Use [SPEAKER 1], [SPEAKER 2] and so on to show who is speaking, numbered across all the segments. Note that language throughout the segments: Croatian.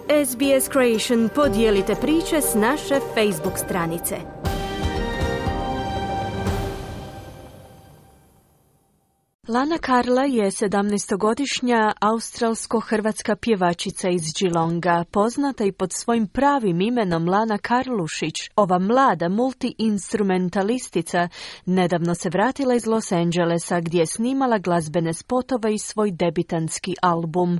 [SPEAKER 1] SBS Creation, podijelite priče s naše Facebook stranice. Lana Karla je 17-godišnja australsko-hrvatska pjevačica iz Geelonga, poznata i pod svojim pravim imenom Lana Karlušić. Ova mlada multi-instrumentalistica nedavno se vratila iz Los Angelesa gdje je snimala glazbene spotove i svoj debitanski album.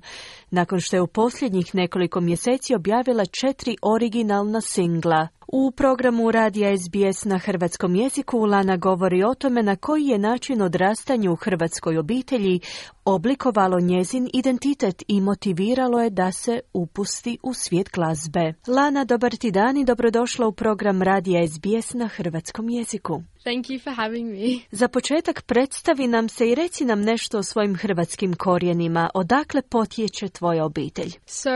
[SPEAKER 1] Nakon što je u posljednjih nekoliko mjeseci objavila 4 originalna singla. U programu radija SBS na hrvatskom jeziku Lana govori o tome na koji je način odrastanje u hrvatskoj obitelji oblikovalo njezin identitet i motiviralo je da se upusti u svijet glazbe. Lana, dobar ti dan i dobrodošla u program radija SBS na hrvatskom jeziku.
[SPEAKER 2] Thank you for having me.
[SPEAKER 1] Za početak predstavi nam se i reci nam nešto o svojim hrvatskim korijenima. Odakle potječe tvoja obitelj?
[SPEAKER 2] So,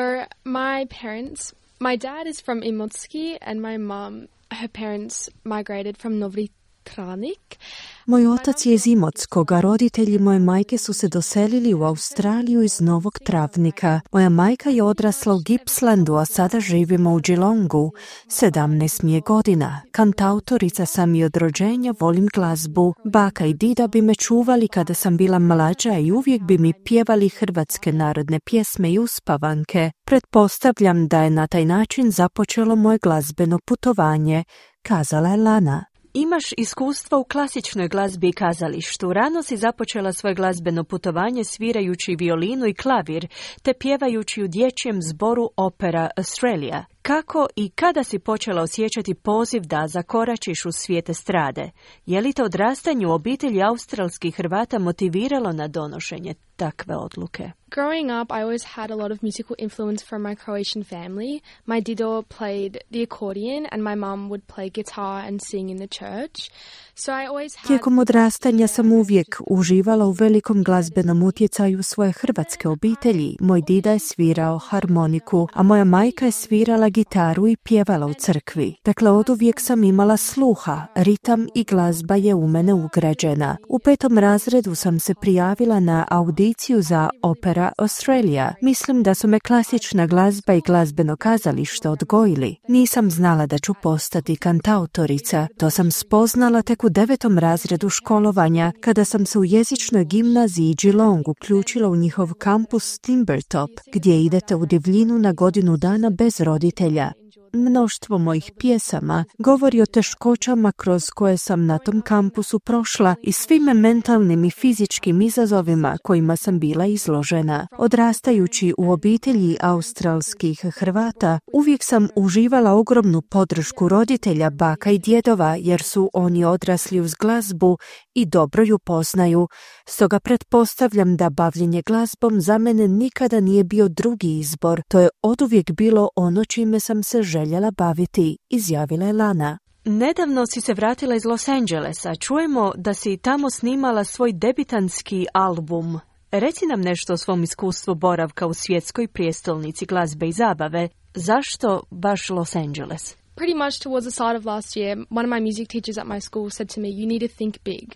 [SPEAKER 2] my dad is from Imotski and my mom, her parents migrated from Novi Tranik.
[SPEAKER 3] Moj otac je iz Imotskog, a roditelji moje majke su se doselili u Australiju iz Novog Travnika. Moja majka je odrasla u Gippslandu, a sada živimo u Geelongu. 17 mi je godina. Kantautorica sam i od rođenja, volim glazbu. Baka i dida bi me čuvali kada sam bila mlađa i uvijek bi mi pjevali hrvatske narodne pjesme i uspavanke. Pretpostavljam da je na taj način započelo moje glazbeno putovanje, kazala je Lana.
[SPEAKER 1] Imaš iskustva u klasičnoj glazbi i kazalištu. Rano si započela svoje glazbeno putovanje svirajući violinu i klavir, te pjevajući u dječjem zboru Opera Australia. Kako i kada si počela osjećati poziv da zakoračiš u svijet estrade? Je li te odrastanje u obitelji australskih Hrvata motiviralo na donošenje takve odluke?
[SPEAKER 2] Growing up, I always had a lot of musical influence from my Croatian family. My dido played the accordion and my mum would play guitar and sing in the church. So I always had...
[SPEAKER 3] Tijekom odrastanja sam uvijek uživala u velikom glazbenom utjecaju svoje hrvatske obitelji. Moj dida je svirao harmoniku, a moja majka je svirala gitaru i pjevala u crkvi. Dakle, oduvijek sam imala sluha, ritam i glazba je u mene ugrađena. U 5. razredu sam se prijavila na audiciju za Opera Australia. Mislim da su me klasična glazba i glazbeno kazalište odgojili. Nisam znala da ću postati kantautorica. To sam spoznala tek u 9. razredu školovanja, kada sam se u jezičnoj gimnaziji Geelong uključila u njihov kampus Timbertop, gdje idete u divljinu na godinu dana bez roditelja. Mnoštvo mojih pjesama govori o teškoćama kroz koje sam na tom kampusu prošla i svim mentalnim i fizičkim izazovima kojima sam bila izložena. Odrastajući u obitelji australskih Hrvata, uvijek sam uživala ogromnu podršku roditelja, baka i djedova, jer su oni odrasli uz glazbu i dobro ju poznaju. Stoga pretpostavljam da bavljenje glazbom za mene nikada nije bio drugi izbor. To je oduvijek bilo ono čime sam se željela baviti, izjavila je Lana.
[SPEAKER 1] Nedavno si se vratila iz Los Angelesa. Čujemo da si tamo snimala svoj debitanski album. Reci nam nešto o svom iskustvu boravka u svjetskoj prijestolnici glazbe i zabave. Zašto baš Los Angeles?
[SPEAKER 2] Pretty much towards the start of last year, one of my music teachers at my school said to me, you need to think big.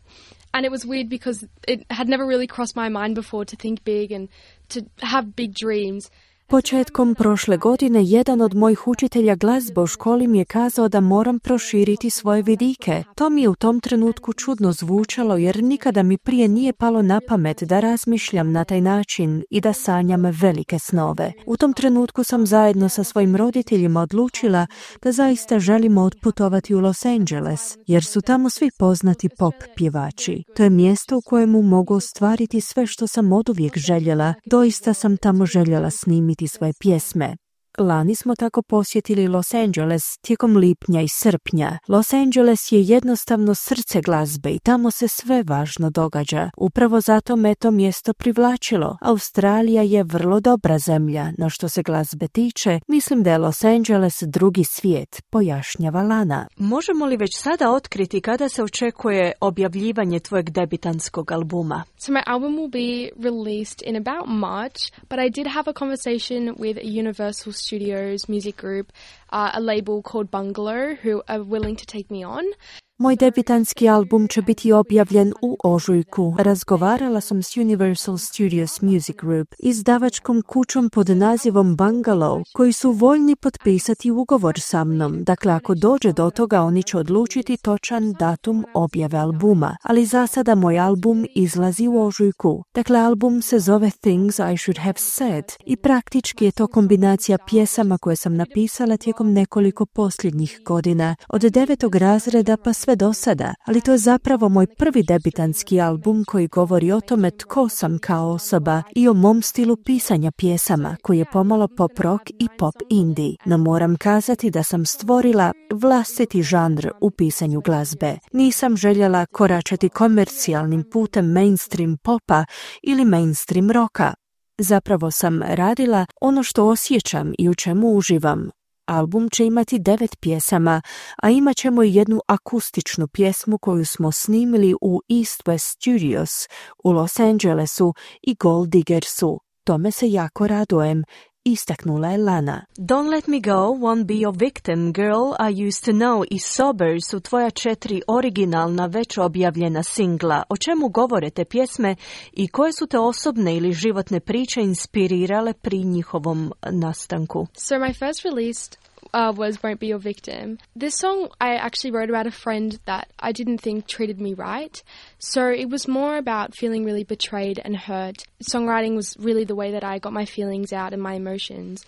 [SPEAKER 2] And it was weird because it had never really crossed my mind before to think big and to have big dreams.
[SPEAKER 3] Početkom prošle godine jedan od mojih učitelja glazbe u školi mi je kazao da moram proširiti svoje vidike. To mi je u tom trenutku čudno zvučalo jer nikada mi prije nije palo na pamet da razmišljam na taj način i da sanjam velike snove. U tom trenutku sam zajedno sa svojim roditeljima odlučila da zaista želimo otputovati u Los Angeles, jer su tamo svi poznati pop pjevači. To je mjesto u kojemu mogu ostvariti sve što sam oduvijek željela. Doista sam tamo željela snimiti svoje pjesme. Lani smo tako posjetili Los Angeles tijekom lipnja i srpnja. Los Angeles je jednostavno srce glazbe i tamo se sve važno događa. Upravo zato me to mjesto privlačilo. Australija je vrlo dobra zemlja, no što se glazbe tiče, mislim da je Los Angeles drugi svijet, pojašnjava Lana.
[SPEAKER 1] Možemo li već sada otkriti kada se očekuje objavljivanje tvojeg debitanskog albuma?
[SPEAKER 2] So my album will be released in about March, but I did have a conversation with a Universal Studios music group, a label called Bungalow, who are willing to take me on.
[SPEAKER 3] Moj debitanski album će biti objavljen u ožujku. Razgovarala sam s Universal Studios Music Group, izdavačkom kućom pod nazivom Bungalow, koji su voljni potpisati ugovor sa mnom. Dakle, ako dođe do toga, oni će odlučiti točan datum objave albuma. Ali za sada moj album izlazi u ožujku. Dakle, album se zove Things I Should Have Said i praktički je to kombinacija pjesama koje sam napisala tijekom nekoliko posljednjih godina, od 9. razreda pa sve do sada, ali to je zapravo moj prvi debitanski album koji govori o tome tko sam kao osoba i o mom stilu pisanja pjesama, koji je pomalo pop rock i pop indie. No moram kazati da sam stvorila vlastiti žanr u pisanju glazbe. Nisam željela koračati komercijalnim putem mainstream popa ili mainstream rocka. Zapravo sam radila ono što osjećam i u čemu uživam. Album će imati 9 pjesama, a imat ćemo i jednu akustičnu pjesmu koju smo snimili u East West Studios u Los Angelesu i Gold Diggersu. Tome se jako radujem, istaknula je Lana.
[SPEAKER 1] Don't Let Me Go, Won't Be Your Victim, Girl I Used to Know i Sober su tvoja 4 originalna već objavljena singla. O čemu govore te pjesme i koje su te osobne ili životne priče inspirirale pri njihovom nastanku?
[SPEAKER 2] So my first release was Won't Be Your Victim. This song I actually wrote about a friend that I didn't think treated me right. So it was more about feeling really betrayed and hurt. Songwriting was really the way that I got my feelings out and my emotions.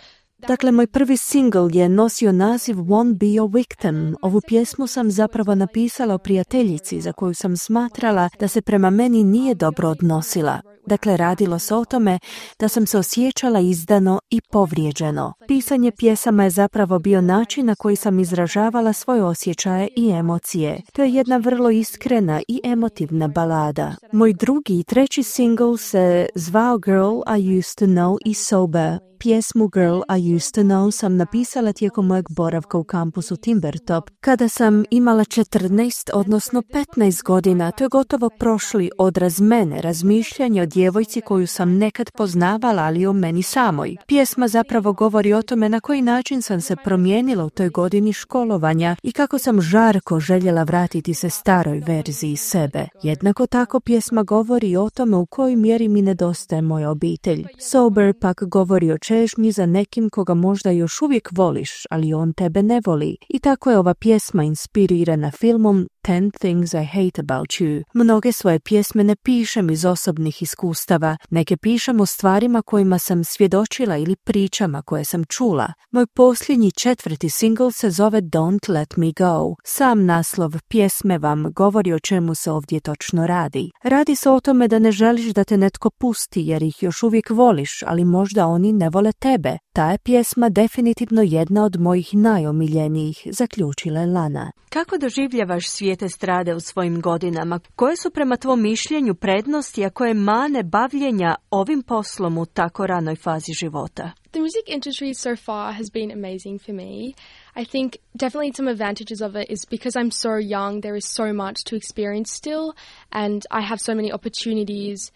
[SPEAKER 3] Dakle, moj prvi singl je nosio naziv Won't Be Your Victim. Ovu pjesmu sam zapravo napisala o prijateljici za koju sam smatrala da se prema meni nije dobro odnosila. Dakle, radilo se o tome da sam se osjećala izdano i povrijeđeno. Pisanje pjesama je zapravo bio način na koji sam izražavala svoje osjećaje i emocije. To je jedna vrlo iskrena i emotivna balada. Moj drugi i treći singl se zvao Girl I Used to Know i Sober. Pjesmu Girl I Used to Know sam napisala tijekom mojeg boravka u kampusu Timbertop, kada sam imala 14, odnosno 15 godina. To je gotovo prošli odraz mene, razmišljanje o djevojci koju sam nekad poznavala, ali o meni samoj. Pjesma zapravo govori o tome na koji način sam se promijenila u toj godini školovanja i kako sam žarko željela vratiti se staroj verziji sebe. Jednako tako pjesma govori o tome u kojoj mjeri mi nedostaje moja obitelj. Sober pak govori o čežnji za nekim koga možda još uvijek voliš, ali on tebe ne voli. I tako je ova pjesma inspirirana filmom 10 Things I Hate About You. Mnoge svoje pjesme ne pišem iz osobnih iskustava, neke pišem o stvarima kojima sam svjedočila ili pričama koje sam čula. Moj posljednji 4. singl se zove Don't Let Me Go. Sam naslov pjesme vam govori o čemu se ovdje točno radi. Radi se o tome da ne želiš da te netko pusti jer ih još uvijek voliš, ali možda oni ne vole tebe. Ta je pjesma definitivno jedna od mojih najomiljenijih, zaključila je Lana.
[SPEAKER 1] Kako doživljavaš svijet estrade u svojim godinama? Koje su prema tvom mišljenju prednosti, a koje mane bavljenja ovim poslom u tako ranoj fazi života?
[SPEAKER 2] The music industry so far has been amazing for me. I think definitely some advantages of it is because I'm so young, there is so much to experience still, and I have so many opportunities.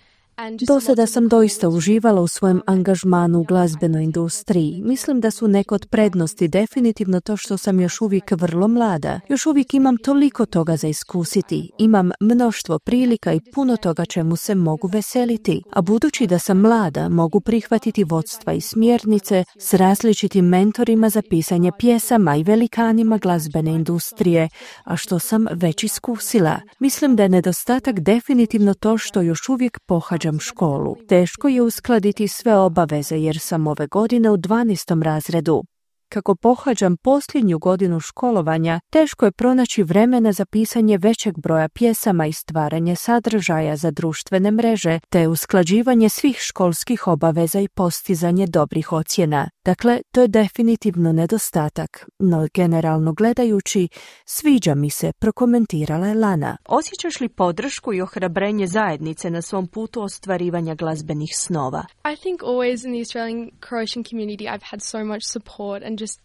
[SPEAKER 3] Do sada sam doista uživala u svojem angažmanu u glazbenoj industriji. Mislim da su neke od prednosti definitivno to što sam još uvijek vrlo mlada. Još uvijek imam toliko toga za iskusiti. Imam mnoštvo prilika i puno toga čemu se mogu veseliti. A budući da sam mlada, mogu prihvatiti vodstva i smjernice s različitim mentorima za pisanje pjesama i velikanima glazbene industrije, a što sam već iskusila. Mislim da je nedostatak definitivno to što još uvijek pohađam školu. Teško je uskladiti sve obaveze jer sam ove godine u 12. razredu. Kako pohađam posljednju godinu školovanja, teško je pronaći vremena za pisanje većeg broja pjesama i stvaranje sadržaja za društvene mreže, te usklađivanje svih školskih obaveza i postizanje dobrih ocjena. Dakle, to je definitivno nedostatak, no generalno gledajući, sviđa mi se, prokomentirala je Lana.
[SPEAKER 1] Osjećaš li podršku i ohrabrenje zajednice na svom putu ostvarivanja glazbenih snova?
[SPEAKER 2] I think always in the Australian Croatian community I've had so much support and and just,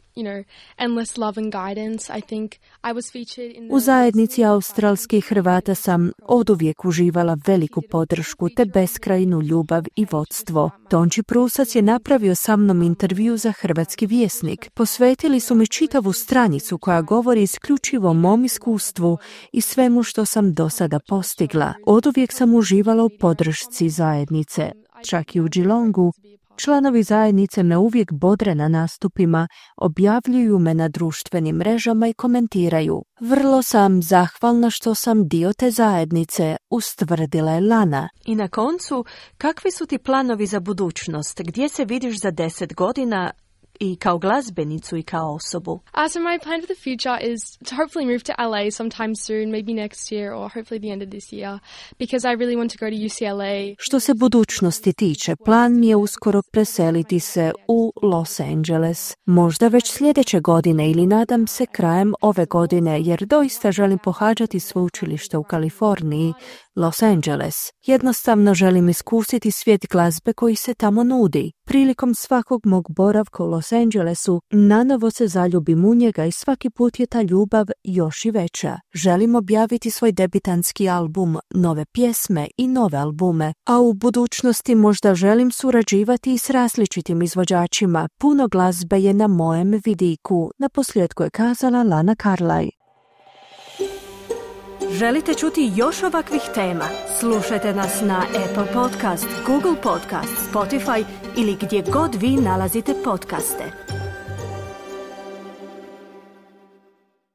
[SPEAKER 2] endless love and guidance. I think I was featured in
[SPEAKER 3] U zajednici australskih Hrvata sam oduvijek uživala veliku podršku te beskrajnu ljubav i vodstvo. Tonči Prusac je napravio sa mnom intervju za Hrvatski vjesnik. Posvetili su mi čitavu stranicu koja govori isključivo o mom iskustvu i svemu što sam do sada postigla. Oduvijek sam uživala u podršci zajednice. Čak i u Geelongu, članovi zajednice me uvijek bodre na nastupima, objavljuju me na društvenim mrežama i komentiraju. Vrlo sam zahvalna što sam dio te zajednice, ustvrdila je Lana.
[SPEAKER 1] I na koncu, kakvi su ti planovi za budućnost? Gdje se vidiš za 10 godina i kao glazbenicu i kao osobu?
[SPEAKER 2] So my plan for the future is to hopefully move to LA sometime soon, maybe next year or hopefully the end of this year, because I really want to go to UCLA.
[SPEAKER 3] Što se budućnosti tiče, plan mi je uskoro preseliti se u Los Angeles. Možda već sljedeće godine ili nadam se krajem ove godine, jer doista želim pohađati sveučilište u Kaliforniji, Los Angeles. Jednostavno želim iskusiti svijet glazbe koji se tamo nudi. Prilikom svakog mog boravka u Los Angelesu nanovo se zaljubim u njega i svaki put je ta ljubav još i veća. Želim objaviti svoj debitanski album, nove pjesme i nove albume, a u budućnosti možda želim surađivati i s različitim izvođačima. Puno glazbe je na mojem vidiku, naposljetku je kazala Lana Carlay.
[SPEAKER 1] Želite čuti još ovakvih tema? Slušajte nas na Apple Podcast, Google Podcast, Spotify ili gdje god vi nalazite podcaste.